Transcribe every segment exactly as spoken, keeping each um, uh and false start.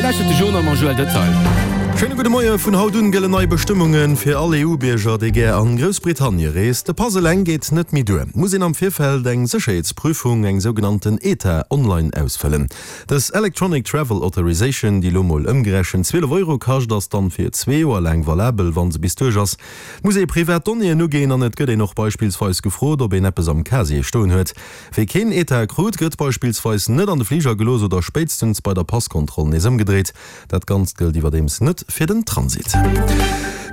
lauschtert de Journal mam Joël Detail. Schéine gudde Moie, Vun haut un gëllen nei Bestëmmunge fir all E U-Bierger, déi gär an Groussbritannie reest. De Pass eleng geet net méi duer, et muss een am Virfeld eng Sécherheetsprüfung, eng sougenannten E T A, online ausfëllen. Dës Electronic Travel Authorization, déi lo mol ëmgerechent zwielef Euro kascht, ass dann fir zwee Joer laang valabel, wann se bis duerch ass. Et muss ee privat Donnéeën uginn an et gëtt een och beispillsweis gefrot, ob een eppes am Casier stoen huet. Wie keen E T A krut, gëtt beispillsweis net an de Fliger gelooss oder spéitstens bei der Passkontroll nees ëmgedréit. Dat Ganzt gëllt iwwerdeems net fir den Transit.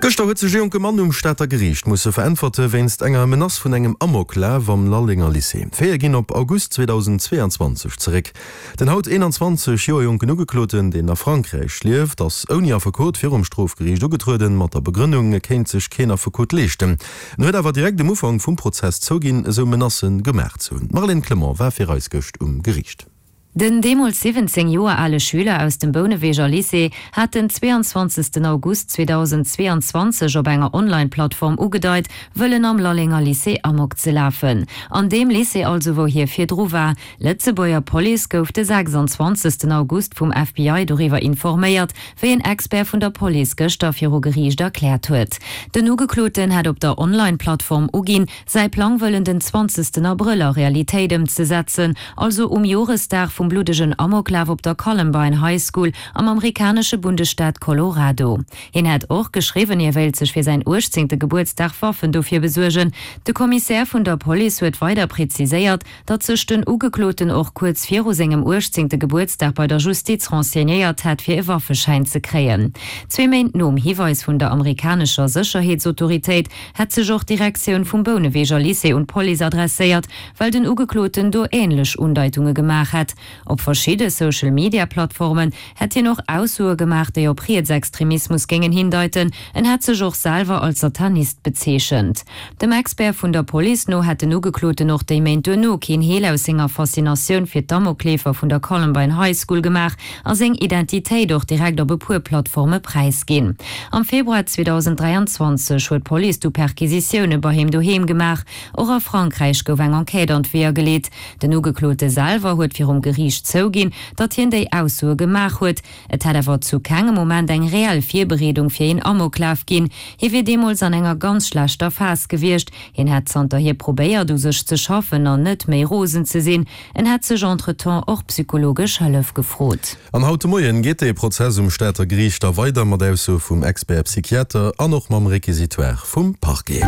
Gëschter huet sech e jonke Mann um Stater Geriicht musse veräntwerte wéinst enger Menace vun engem Amoklaf am Lallenger Lycée. D'Faite ginn op August zweedausendzweeanzwanzeg zeréck. Den haut eenanzwanzeg Joer jonken Ugekloten, deen a Frankräich lieft, ass ouni Affekot virum Strofgeriicht ugetrueden, mat der Begrënnung, e kéint sech keen Affekot leeschten. En huet awer direkt um Ufank vum Prozess zouginn, esou Menacë gemaach ze hunn. D'Marlène Clement war fir eis gëscht um Geriicht. Den deemools siwwenzéng Joer ale Schüler aus dem Bouneweger Lycée hat den zweeanzwanzegsten August zweedausendzweeanzwanzeg op enger Online-Plattform ugedeit, wëllen am Lallenger Lycée Amok ze lafen. An deem Lycée also, wou hie virdru war. D'Lëtzebuerger Police gouf de sechsanzwanzegsten August vum F B I doriwwer informéiert, wéi en Expert vun der Police gëschter viru Geriicht erkläert huet. Den Ugekloten hat op der Online-Plattform uginn, säi Plang wëllen den zwanzegsten Abrëll a Realitéit ëmzesetzen, also um Joresdag vum bluddegen Amoklaf op der Columbine High School am amerikanesche Bundesstaat Colorado. Hien hätt och geschriwwen, hie wéilt sech fir säin uechtzéngte Gebuertsdag Waffen dofir besuergen. De Kommissär vun der Police huet weider präziséiert, datt sech den Ugekloten och kuerz viru sengem uechtzéngte Gebuertsdag bei der Justiz renseignéiert hätt, fir e Waffeschäin ze kréien. Zwee Méint nom Hiweis vun der amerikanescher Sécherheetsautoritéit hätt sech och d'Direktioun vum Bouneweger Lycée un d'Police adresséiert, well den Ugekloten do änlech Undeitunge gemaach hätt. Op verschidde Social-Media-Plattformen hätt hien och Aussoe gemaach, déi op Rietsextremismus géingen hindeiten. En hätt sech och selwer als Satanist bezeechent. Dem Expert vun der Police no hätt den Ugekloten och déi Méint duerno keen Heel aus senger Faszinatioun fir d'Amokleefer vun der Columbine High School gemaach a seng Identitéit och direkt op e puer Plattforme präisginn. Am Februar zweedausenddräianzwanzeg huet d'Police du Perquisitioune bei him doheem gemaach. Och a Frankräich gouf eng Enquête an d'Weeër geleet. Den Ugeklote selwer huet virum Geriicht zouginn, datt hien déi Aussoe gemaach huet. Et hätt awer zu kengem Moment eng reell Virbereedung fir een Amoklaf ginn. Hie wier deemools an enger ganz schlechter Phas gewiescht. Hien hätt zanterhier probéiert, u sech ze schaffen an net méi rosen ze sinn. En hätt sech entretemps och psychologesch Hëllef gefrot. An haut de Moien geet de Prozess um Stater Geriicht da weider mat Aussoe vum Expert Psychiater an och mam Requisitoire vum Parquet.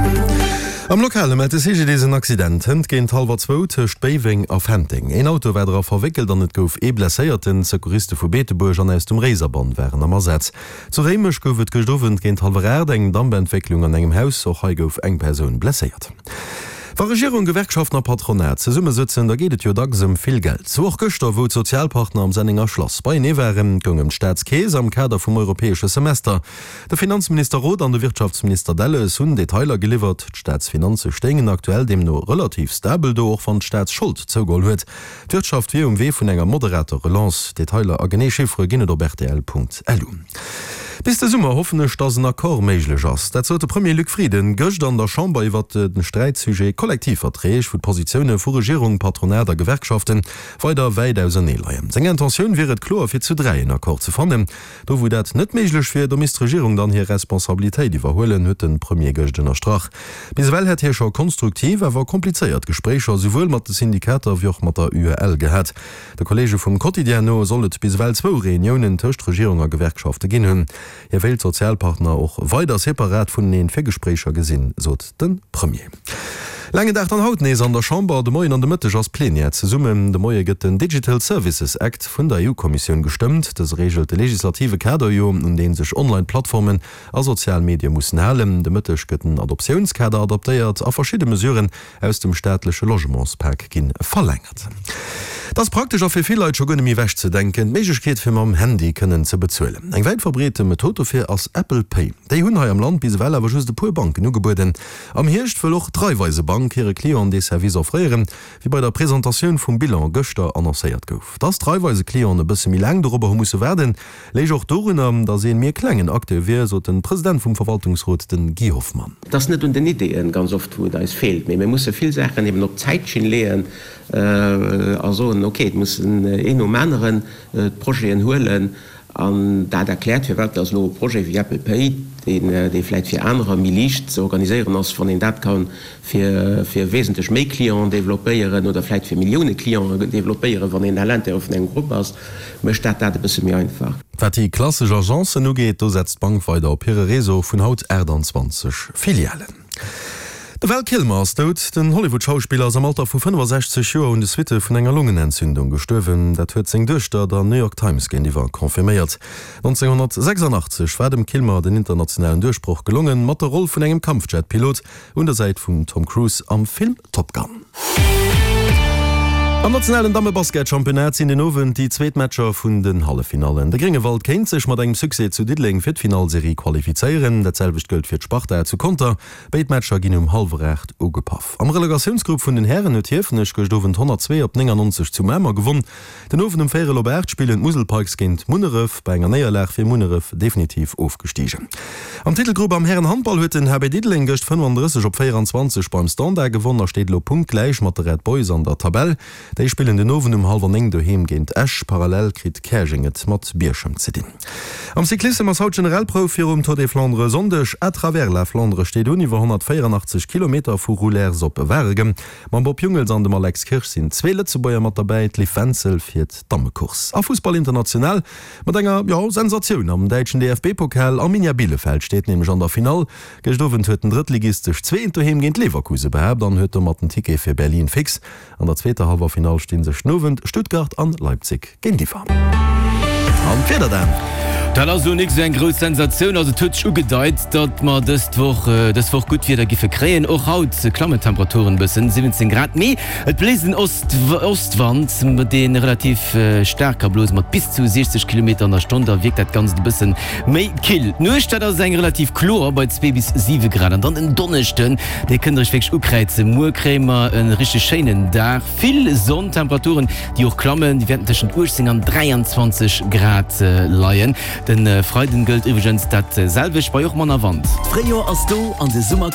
Am Lokale mellt de C G D S en Accident hënt géint hallwer zwou tëscht Béiweng a Fenteng. Een Auto war dra verwéckelt an et gouf ee Blesséierten. Secouriste vu Beetebuerg an aus dem Réiserbann waren am Asaz. Zu Réimech gouf et gëscht Owend géint hallwer aacht eng Dampentwécklung an engem Haus. Och hei gouf eng Persoun blesséiert. Wa Regierung, Gewerkschaften a Patronat zesummesëtzen, da geet et jo dacks ëm vill Geld. Sou och gëschter, wou d'Sozialpartner am Sennenger Schlass beienee waren, goung ëm d'Staatskeess am Kader vum europäesche Semester. De Finanzminister Roth an de Wirtschaftsminister Delles hunn Detailer geliwwert. D'Staatsfinanze stéingen aktuell deemno relativ stabel do, och wann d'Staatsschold zougeholl huet. D'Wirtschaft wier um Wee vun enger moderater Relance. Detailer a genee Chiffere ginn et op R T L Punkt L U. Bis de Summer hoffen ech, datt en Accord méiglech ass. Dat sot de Premier Luc Frieden gëscht an der Chamber iwwer den Sträitsujet Kollektivverträg, wou d'Positioune vu Regierung, Patronat a Gewerkschaften weider wäit ausernee leien. Seng Intentioun wier et kloer fir zu dräi en Accord ze fannen. Do wou dat net méiglech wier, do misst d'Regierung dann hir Responsabilitéit iwwerhuelen, huet de Premier gëscht ënnerstrach. Bis ewell hätt hie scho konstruktiv, awer komplizéiert Gespréicher souwuel mat de Syndikater wéi och mat der U E L gehat. De Kolleege vum Quotidien no soll et bis ewell zwou Reuniounen tëscht Regierung a Gewerkschafte ginn hunn. Hie wéilt d'Sozialpartner och weider separat vuneneen fir Gespréicher gesinn, sot de Premier. Laangen Dag dann haut nees an der Chamber. De Moien an de Mëtteg ass Plenière zesummen. De Moie gëtt den Digital Services Act vun der E U-Kommissioun gestëmmt. Dëse reegelt de legislative Kader jo, un dee sech Online-Plattformen a sozial Medie mussen halen. De Mëtteg gëtt den Adoptiounskader adaptéiert a verschidde Mesuren aus dem staatleche Logementspak gi verlängert. Dat ass praktesch a fir vill Leit scho guer net méi ewechzedenken, d'Méiglechkeet fir mam Handy kënnen ze bezuelen. Eng wäit verbreete Method dofir ass Apple Pay. Déi hunn hei am Land bis ewell awer just e puer Banken ugebueden. Am Hierscht wëll och d'Raiffeisebank hire Clienten dee Service offréieren, wéi bei der Presentatioun vum Bilan gëschter annoncéiert gouf. Dass d'Raiffeise-Clienten e bësse méi laang dorobber hu musse waarden, léich och dorunner, dass ee méi klengen Acteur wier, sot de President vum Verwaltungsrot, de Guy Hoffmann. Et ass net un den Ideeën ganz oft, wou et eis feelt, mee mir musse vill Saachen eben op d'Zäitschinn leeën a soen, okay, et mussen een nom aneren d'Projeten huelen. An dat erkläert, firwat dass elo e Projet wéi Apple Pay, deen, dee vläicht fir anerer méi liicht ze organiséieren ass, wann een dat ka fir, fir wesentlech méi Clienten développéieren oder vläicht fir Millioune Clienten développéieren, wann een à l'intérieur vun engem Grupp ass, mécht dat dat e bësse méi einfach. Wat déi klassesch Agencen ugeet, do setzt d'Bank weider op hire Réseau vun haut achttanzwanzeg Filialen. De Val Kilmer ass dout. Den Hollywood-Schauspiller ass am Alter vu fënnefasechzeg Joer un de Suitte vun enger Longenentzündung gestuerwen. Dat huet seng Duechter der New York Times géintiwwer confirméiert. nonzénghonnertsechsandachtzeg war dem Kilmer den internationalen Duerchbroch gelongen, mat der Roll vun engem Kampfjet-Pilot un der Säit vum Tom Cruise am Film Top Gun. Am nationalen Damme-Basket-Championnat sinn den Owend déi zweet Matcher vun den Halleffinallen. De Gréngewald kéint sech mat engem Succès zu Diddeleng fir d'Finallserie qualifizéieren. Dat selwecht gëllt fir d'Sparta zu Conter. Béid Matcher ginn um hallwer aacht ugepaff. Am Relegatiounsgrupp vun den Hären huet Hiefenech gëscht Owend honnertzwee op néngannonzeg zu Mamer gewonn. Den Owend um véierel op aacht spillen d'Musel Pikes géint Munneref. Bei enger Néierlag wier Munneref definitiv ofgestigen. Am Titelgrupp am Hären-Handball huet den H B Diddeleng gëscht fënnefanddrësseg op véieranzwanzeg beim Standard gewonn a steet elo punktgläich mat de Red Boys an der Tabell. Déi spillen den Owend um hallwer néng doheem géint Esch. Parallel kritt Käerjeng et mat Bierchem ze dinn. Am Cyclissem ass haut d'Generalprouf virum Tour des Flandres e Sonndeg. À travers la Flandre steet un, iwwer honnertvéierandachtzeg Kilometer vu Roulers op Waregem. Mam Bob Jungels an dem Alex Kirsch sinn zwee Lëtzebuerger mat derbäi, d'Liv Wenzel fiert d'Dammecourse. A Fussball international mat enger, jo, Sensatioun am däitschen D F B-Pokal, Arminia Bielefeld steet nämlech an der Finall. Gëscht Owend huet den Drëttligist sech zwee eent doheem géint Leverkusen behaapt an huet domat den Ticket fir Berlin fix. An der zweeter Hallwerfinall sti sech den Owend Stuttgart an Leipzig géintiwwer. An d'Wieder dann. Dat ass elo nik sou eng grouss Sensatioun. Also et huet sech ugedeit, datt mer dëst Woch dës Woch gutt Wieder giffe kréien. Och haut klammen d'Temperaturen e bëssen, siwwenzéng Grad, mee et bléist en Ost Ostwand, dee relativ staark ka blose mat bis zu siechzeg Kilometer an der Stonn. Da wierkt dat Ganzt e bëssen méi kill. D'Nuecht, dat ass eng relativ kloer bei zwee bis siwe Grad. An dann en Donneschden, dee kënnt der iech wierklech ukräizen. Muer kréie mer e richteg schéinen Dag, vill Sonn, Temperaturen, déi och klammen, déi wäerten tëschent uechtzéng an dräianzwanzeg Grad leien. Den Freiden gëllt iwwregens dat selwecht, bei och manner Wand. D'Fréijoer ass do an de Summer.